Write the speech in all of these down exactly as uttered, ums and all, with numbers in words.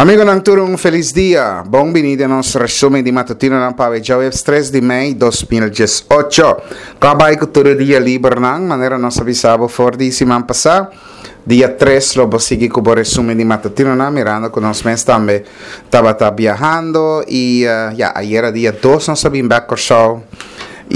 Amigonan tur, un felis dia. Bon bini den nos resumen di matutinonan pa djaweps tres di mei dos mil diesocho. Kon a bai ku tur e dia libernan, manera nos a bisa bo for di siman pasá? Dia tres lo bo sigui ku bo resumen di matutinonan, mirando ku nos mes tambe tabata biahando i ya, ayera dia dos nos a bin bèk Kòrsou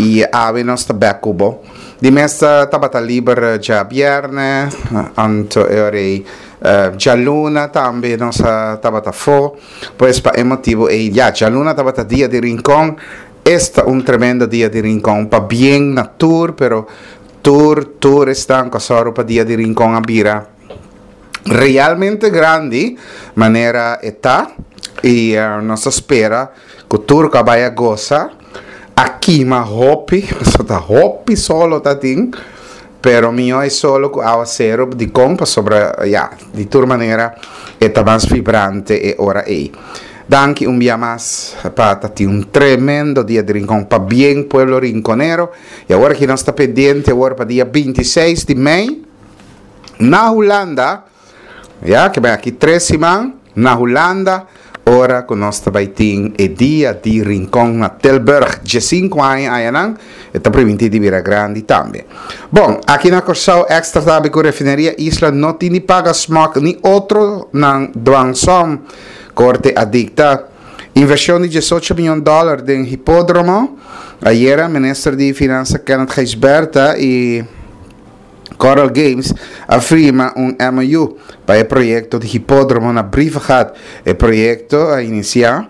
i awe nos ta bèk ku bo. Di mes tabata liber djabièrnè, anto e ora ei djaluna tambe nos a tabata afó, pues pa e motibu ei ya djaluna tabata dia di Rincon. Esta un tremendo dia di Rincon, pabien na tur, pero tur tur esnan ku a sòru pa dia di Rincon a bira realmente grandi manera e ta, i nos ta spera ku tur ku a bai a gosa, a kima hopi, pasobra ta hopi solo ta tin. Pero mihó e solo ku awaseru, dikon? Pasobra ya, di tur manera e ta mas vibrante e ora ei. Danki un bia mas pa ta tin un tremendo dia di Rincon. Pabien, pueblo rinconero. I awor aki nos ta pendiente awor pa dia binti i seis di mei na Hulanda. Ya, ke bai aki tres siman na Hulanda, ora ku nos ta bai tin e dia di Rincon na Tilburg. Diesinku aña ayanan, e ta primintí di bira grandi tambe. Bon, aki na Kòrsou Extra tambe ku Refineria Isla no tin di paga SMOC ni otronan dwangsom, korte a dikta. Invershon di diesocho mion dòler den hipódromo. Ayera minister di Finansa Kenneth Gijsbertha i Coral Games a firma un M O U pa e proyekto di hipódromo na Brievengat. E proyekto a inisiá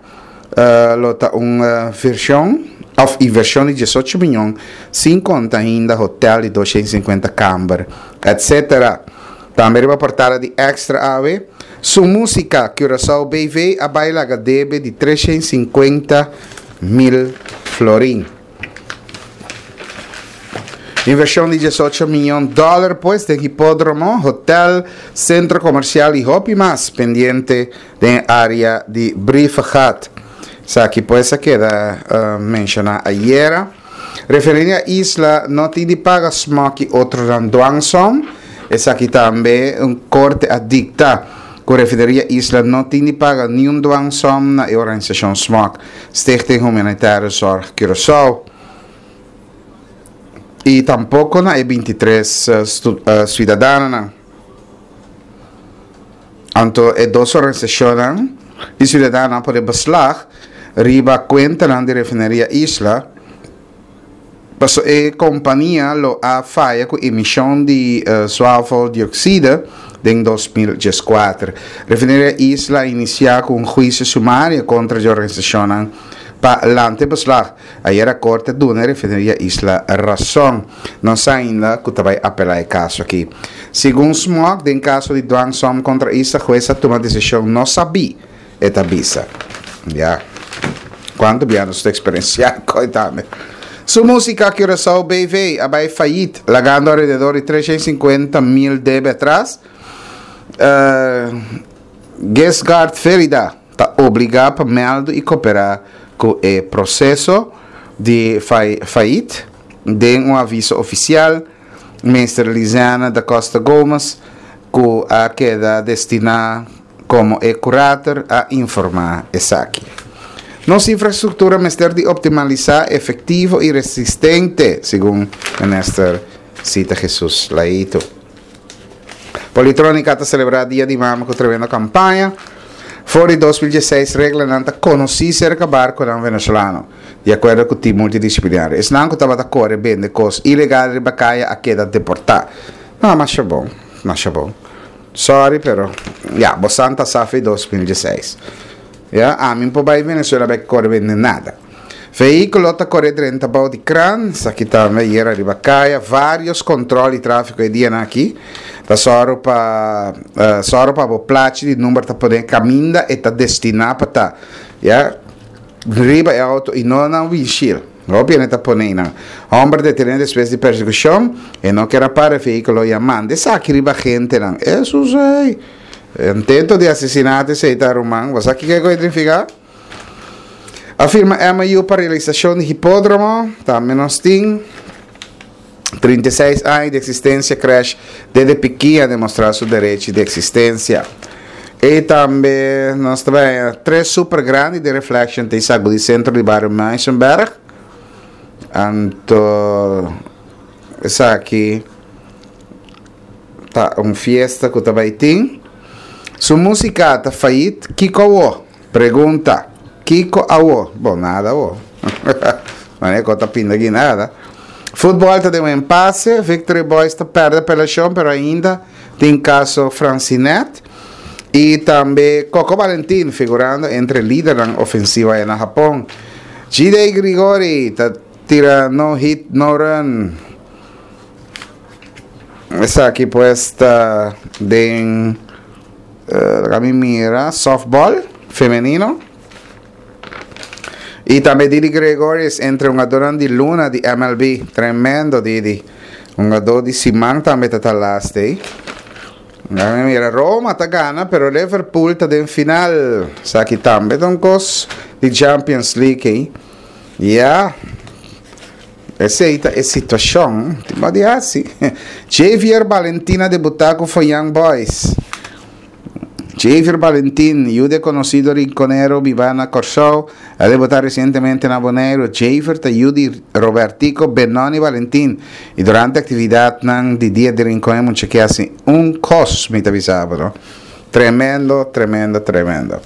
lo ta un vershon òf invershon di diesocho mion, sin konta ainda hotel di doshent sinkuenta kamber, etcétera. Tambe riba portada di Extra awe, Su Músika Curaçao B V a bai laga debe di treshent sinkuenta mil florin. Invershon di diesocho mion dòler pues den hipódromo, hotel, sentro komersial i hopi mas pendiente den área di Brievengat. Esaki pues a keda menshoná ayera. Refineria Isla no tin di paga SMOC i otronan dwangsom. Esaki tambe un korte a dikta ku Refineria Isla no tin di paga niun dwangsom na e organisashon SMOC, Stichting Humanitaire Zorg Curaçao. I tampoko na e binti tres suidadanonan. Anto e dos organisashonnan di suidadanonan a pone beslag riba kuentanan di Refineria Isla, paso e kompania lo a faya ku emishon di zwaveldioxide den dos mil dieskuater. Refineria Isla a inisiá ku un huisio sumario kontra di organisashonnan pa lanta e beslag. Ayera korte a duna e Refineria Isla rason. No sa ainda ku ta bai apelá e kaso aki. Segun SMOC, den kaso di dwangsom kontra Isla, hues a tuma desishon no sabí, e ta bisa. Ya. Kuantu bia nos ta eksperensiá koi tambe. Su Músika Curaçao B V a bai fayit, lagando alrededor di treshent sinkuenta mil debe atras. Gisgard Ferida ta obligá pa mèldu i koperá ku e proseso di fayit den un aviso ofisial. Minister Lizanne da Costa Gomez, ku a keda destiná komo e kurator, a informá esaki. Nos infrastruktura mester di optimalisá, efektivo i resistente, segun minister Zita Jesus Leito. Politronica ta selebrá Dia di Mama ku tremendo kampaña. For di dos mil diesseis reglanan ta konosí serka barkonan venezolano, di akuerdo ku tim multidisiplinario. Esnan ku tabata kore bende kos ilegal riba kaya a keda deportá. No, masha bon, masha bon. Sorry, pero ya, bo santa safi dos mil diesseis. Ya, ami por bai Venezuela bai kore bende nada. Vehíkulo ta kore drenta bou di kran, esaki tambe ayera riba kaya. Vários kòntròl di tráfiko e dianan aki. Ta sòru pa sòru pa bo plachi di number ta pone kaminda e ta destiná pa ta. Ya, riba e outo i no na windshield. Hopi hende ta pone einan. Hòmber detené despues di persekushon, e no ker a para e vehíkulo i a manda esaki riba gentenan. Esus ei! Intento di asesinato esei ta, ruman. Bo sa kiko e koe signifiká? A firma M O U pa realisashon di hipódromo. Tambe nos tin trinta i seis aña di eksistensia, Crèsh Dede Pikin a demostrá su derechi di eksistensia. I tambe nos tambe tres super grandi di Reflection ta sagudí sentro di bario Muizenberg. Anto esaki ta un fiesta ku tambe tin. Su músika ta failliet, kiko awo? Pregunta. Kiko awo? Bon, nada awo. Ma e ta pinda aki nada. Futbòl ta den un impasse. Victory Boys ta pèrdè apelashon, pero ainda tin kaso Francinet. I tambe Coco Valentin figurando entre lidernan ofensivo na Hapon. G D. Grigori ta tira no hit no run. Esaki pues ta den uh, mira softball femenino. I tambe Didi Gregorius entre hungadó di luna di M L B. Tremendo Didi. Hungadó di siman tambe ta last day. Mira, Roma ta gana, pero Liverpool ta den final. Esaki tambe ta un kos di Champions League, eh? Yeah. Esei ta e situashon. Tin di asina. Javier Valentina a debutá ku Young Boys. Javier Valentin, yu di konosido rinkonero bibá na Kòrsou, a debutá resientemente na Boneiru. Javier ta yu di Robertico Benoni Valentin. I durante aktividat di dia di Rincon, mucha ku asina, un kos, mi ta bisa, no? Tremendo, tremendo, tremendo.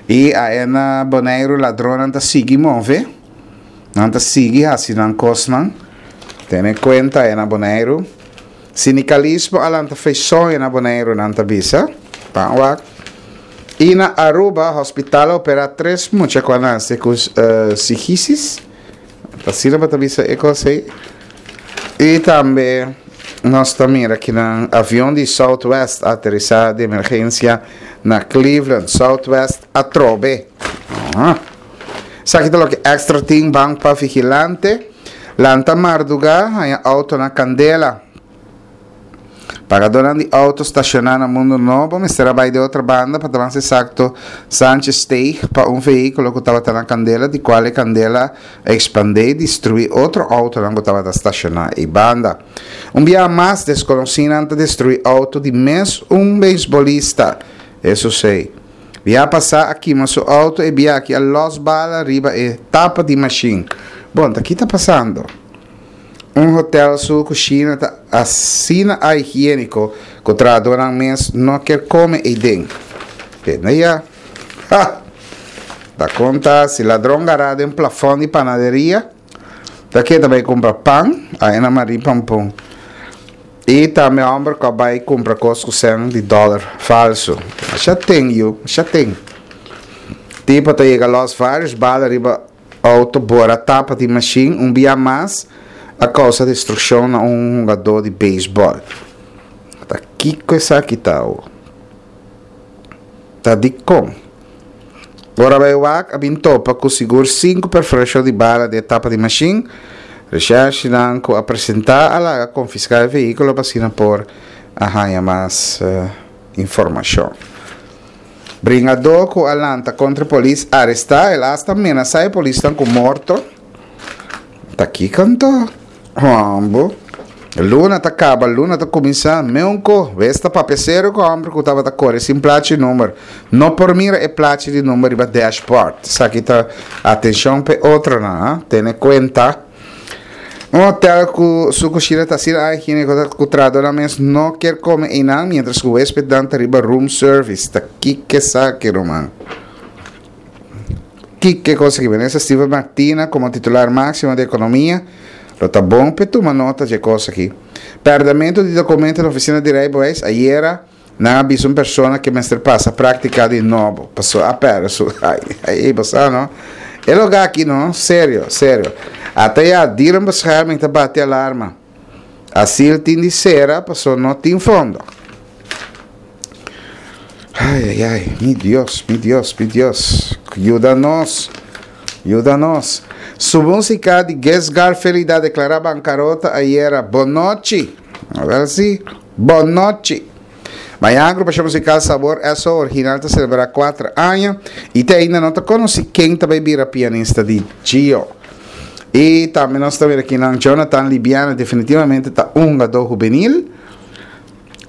I ei na Boneiru, ladronnan ta sigui move. Nan ta sigui hasi nan kosnan. Tene kuenta ei na Boneiru. Sindikalismo a lanta feison na Boneiru, nan ta bisa. Ban wak. I na Aruba, hospital a operá tres mucha ku nase ku uh, sigisis. Asina bo ta bisa e kos ei. I tambe nos ta mira ku un avion di Southwest a aterisá di emergensia na Cleveland, Southwest atrobe. Ah. Esaki ta loke Extra tin. Ban pa Vigilante. Lanta mardugá, haña outo na kandela. Pagadónan di outo stashoná na Mundo Nobo mester a bai di otro banda, pa mas eksakto Sanchez Steeg, pa un vehíkulo ku tabata na kandela, di kual e kandela a ekspandé i destruí otro outo ku tabata stashoná ei banda. Un dia mas, deskonosínan a destruí outo di mes un beisbolista. Esei si. Biaha pasá a kima su outo i biaha aki a los bala riba e tapa di mashin. Bon, kiko ta pasando? Un hotel su kushina ta asina ahigiéniko ku trahadónan mes no ke kome eiden. Ya. Ha! Da konta si ladron gara den plafòn di panaderia. Ta ku tambe kumpra pan, ei na Marie Pampon. I tambe hòmber ku bai kumpra kos ku shen di dòler falsu. Ya tin, yu, ya tin. Tipo ta yega los vários bala riba outo, bora tapa di mashin, un dia mas a kousa destrukshon na un hungadó di beisbòl. Ta kiko esaki ta? Ta di kon? Ora bai wak, a bin topa ku sigur sinku perforashon di bala den tapa di mashin. Recherche ku a presentá a laga konfiská e vehíkulo pa asina por a haña mas uh, informashon. Bringadó ku a lanta kontra polis arestá, el a hasta menasá e polis ku morto. Ta kiko anto? Hombo. Luna ta kaba, luna ta kuminsá. Meunko, esta papia serio ku hòmber ku tabata kore sin plachi number. No por mira e plachi di number riba dashboard. Esaki ta atenshon pa otronan, tene kuenta. Un hotel ku su kushina ta asina ahigiéniko ku trahadónan mes no ke kome einan, mientras ku huéspetnan ta riba room service. Ta kiko esaki, ruman? Kiko kos aki? Vanessa Steven Martina komo titular máksimo di ekonomia. Lo ta bon pa tuma nota di kos aki. Pèrdèmentu di dokumento na ofisina di rijbewijs. Ayera nan a avisa un persona ku mester pasa práktika di nobo. Pasó a pèrdè su. Ai, ai, bo no? E lugá aki no, serio, serio. Ata ya dierenbescherming ta bati alarma. Asiel tin di sera, pasó no tin fondo. Ai, ai, ai, mi Dios, mi Dios, mi Dios. Yuda nos. Yuda nos. Su músika di Gesgar Felida deklará bankarota ayera. Bonochi. A ber si. Bonochi. Mañan agrupashon musikal Sabor Eso Original ta selebrá kuater aña i te ainda no ta konosí ken ta bai bira pianista di Gio. I tambe nos ta aki na Jonathan Libiana definitivamente ta un hungadó hubenil.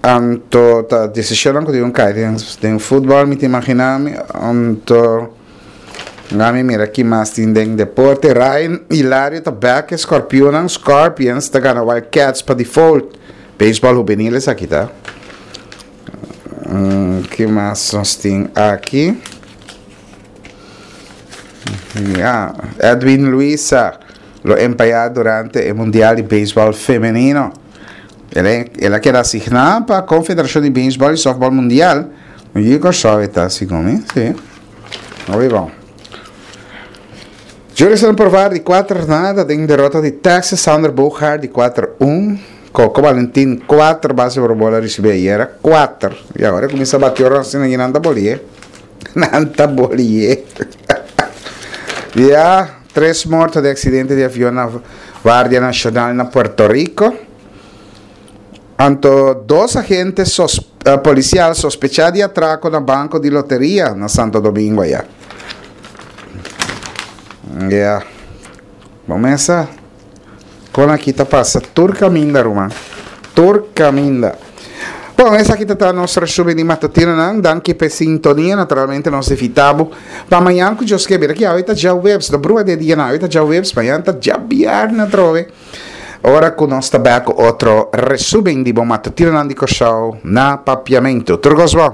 Anto ta desishonnan ku tin un kai den den futbòl mi ta imaginá mi. Anto mi mira ki mas tin den deporte. Ryan Hilario ta bèk e Scorpionan. Scorpions ta gana Wild Cats pa default. Beisbòl hubenil esaki ta. Ki mas nos tin aki? Ya, Edwin Luisa lo empayá durante e Mundial di Beisbòl Femenino. El a keda asigná pa Konfederashon di Beisbòl i Sòftbòl Mundial. I Kòrsou e ta segun mi, sí. Hopi bon. Jurison Provar di kuater nada den derota di Texas, Sander Bogaert di kuater un, Coco Valentin kuater base por bola risibí ayera, kuater. I awor e kuminsá bati ora asina i nan ta bolié. Nan ta bolié. Ya, tres morto di aksidente di avion na Guardia Nacional na Puerto Rico. Anto dos agente sos, uh, policial sospecha di atraco na banco di loteria na Santo Domingo allá. Yeah. Bon mesa. Con aki ta pasa tur caminda, ruman. Tur caminda. Bon, esaki ta nos resumen di matutinonan. Danki p'e sintonia. Naturalmente nos invitá bo pa mañan ku Dios ke. Mira ki awe ta djaweps. No brua den dia nan. Awe ta djaweps, mañan ta djabièrnè atrobe. Ora ku nos ta bèk ku otro resumen di bo matutinonan di Kòrsou na Papiamentu. Tur kos bon.